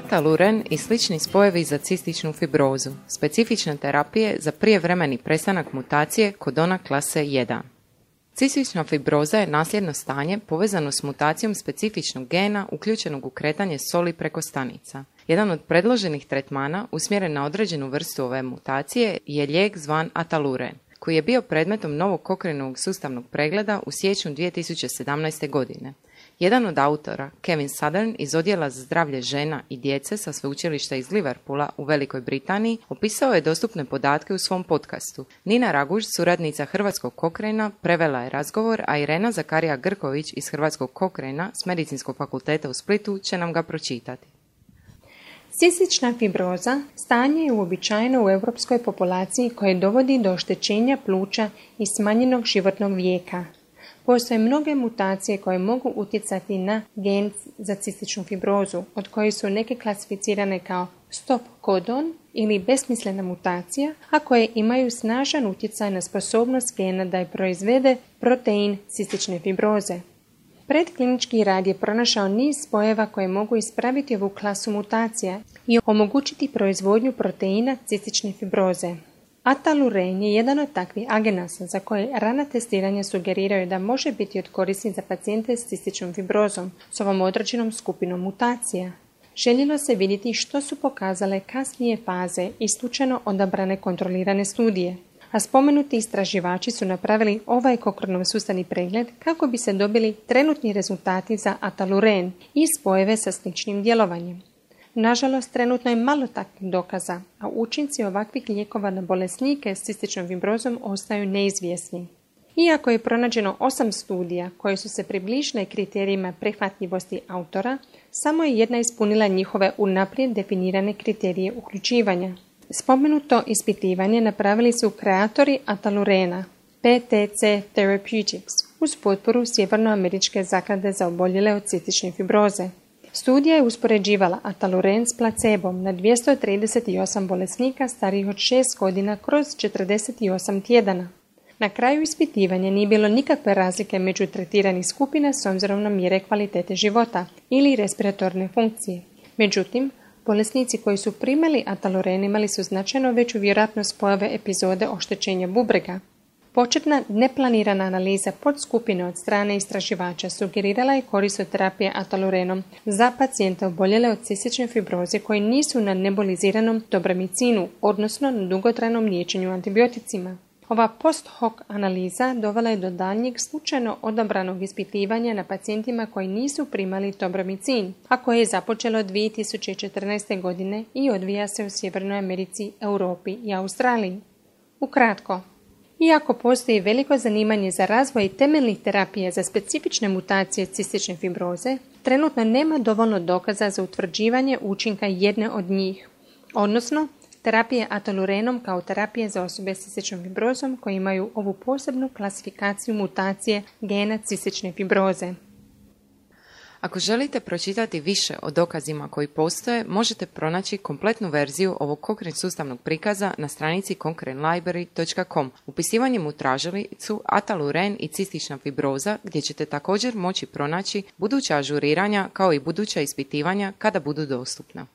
Ataluren i slični spojevi za cističnu fibrozu, specifične terapije za prijevremeni prestanak mutacije kodona klase 1. Cistična fibroza je nasljedno stanje povezano s mutacijom specifičnog gena uključenog u kretanje soli preko stanica. Jedan od predloženih tretmana usmjeren na određenu vrstu ove mutacije je lijek zvan Ataluren, koji je bio predmetom novog Cochraneovog sustavnog pregleda u siječnju 2017. godine. Jedan od autora, Kevin Southern iz Odjela za zdravlje žena i djece sa sveučilišta iz Liverpoola u Velikoj Britaniji, opisao je dostupne podatke u svom podcastu. Nina Raguž, suradnica Hrvatskog Cochrana, prevela je razgovor, a Irena Zakarija Grković iz Hrvatskog Cochrana s Medicinskog fakulteta u Splitu će nam ga pročitati. Cistična fibroza stanje je uobičajeno u europskoj populaciji koje dovodi do oštećenja pluća i smanjenog životnog vijeka. Postoje mnoge mutacije koje mogu utjecati na gen za cističnu fibrozu, od kojih su neke klasificirane kao stop kodon ili besmislena mutacija, a koje imaju snažan utjecaj na sposobnost gena da je proizvede protein cistične fibroze. Predklinički rad je pronašao niz spojeva koje mogu ispraviti ovu klasu mutacija i omogućiti proizvodnju proteina cistične fibroze. Ataluren je jedan od takvih agenasa za koje rana testiranja sugeriraju da može biti od koristi za pacijente s cističnom fibrozom s ovom određenom skupinom mutacija. Željelo se vidjeti što su pokazale kasnije faze i slučajno odabrane kontrolirane studije, a spomenuti istraživači su napravili ovaj Cochranov sustavni pregled kako bi se dobili trenutni rezultati za Ataluren i spojeve sa sličnim djelovanjem. Nažalost, trenutno je malo takvih dokaza, a učinci ovakvih lijekova na bolesnike s cističnom fibrozom ostaju neizvjesni. Iako je pronađeno 8 studija koje su se približile kriterijima prihvatljivosti autora, samo je jedna ispunila njihove unaprijed definirane kriterije uključivanja. Spomenuto ispitivanje napravili su kreatori Atalurena, PTC Therapeutics, uz potporu Sjevernoameričke zaklade za oboljele od cistične fibroze. Studija je uspoređivala Ataluren s placebom na 238 bolesnika starijih od 6 godina kroz 48 tjedana. Na kraju ispitivanja nije bilo nikakve razlike među tretiranih skupina s obzirom na mjere kvalitete života ili respiratorne funkcije. Međutim, bolesnici koji su primali Ataluren imali su značajno veću vjerojatnost pojave epizode oštećenja bubrega. Početna neplanirana analiza podskupine od strane istraživača sugerirala je korist od terapije Atalurenom za pacijente oboljele od cistične fibroze koji nisu na neboliziranom dobramicinu, odnosno na dugotrajnom liječenju antibioticima. Ova post hoc analiza dovela je do daljnjeg slučajno odabranog ispitivanja na pacijentima koji nisu primali dobramicin, a koje je započelo 2014. godine i odvija se u Sjevernoj Americi, Europi i Australiji. Ukratko, iako postoji veliko zanimanje za razvoj temeljnih terapija za specifične mutacije cistične fibroze, trenutno nema dovoljno dokaza za utvrđivanje učinka jedne od njih, odnosno terapije Atalurenom kao terapije za osobe s cističnom fibrozom koji imaju ovu posebnu klasifikaciju mutacije gena cistične fibroze. Ako želite pročitati više o dokazima koji postoje, možete pronaći kompletnu verziju ovog Cochrane sustavnog prikaza na stranici cochranelibrary.com upisivanjem u tražilicu Ataluren i cistična fibroza, gdje ćete također moći pronaći buduća ažuriranja kao i buduća ispitivanja kada budu dostupna.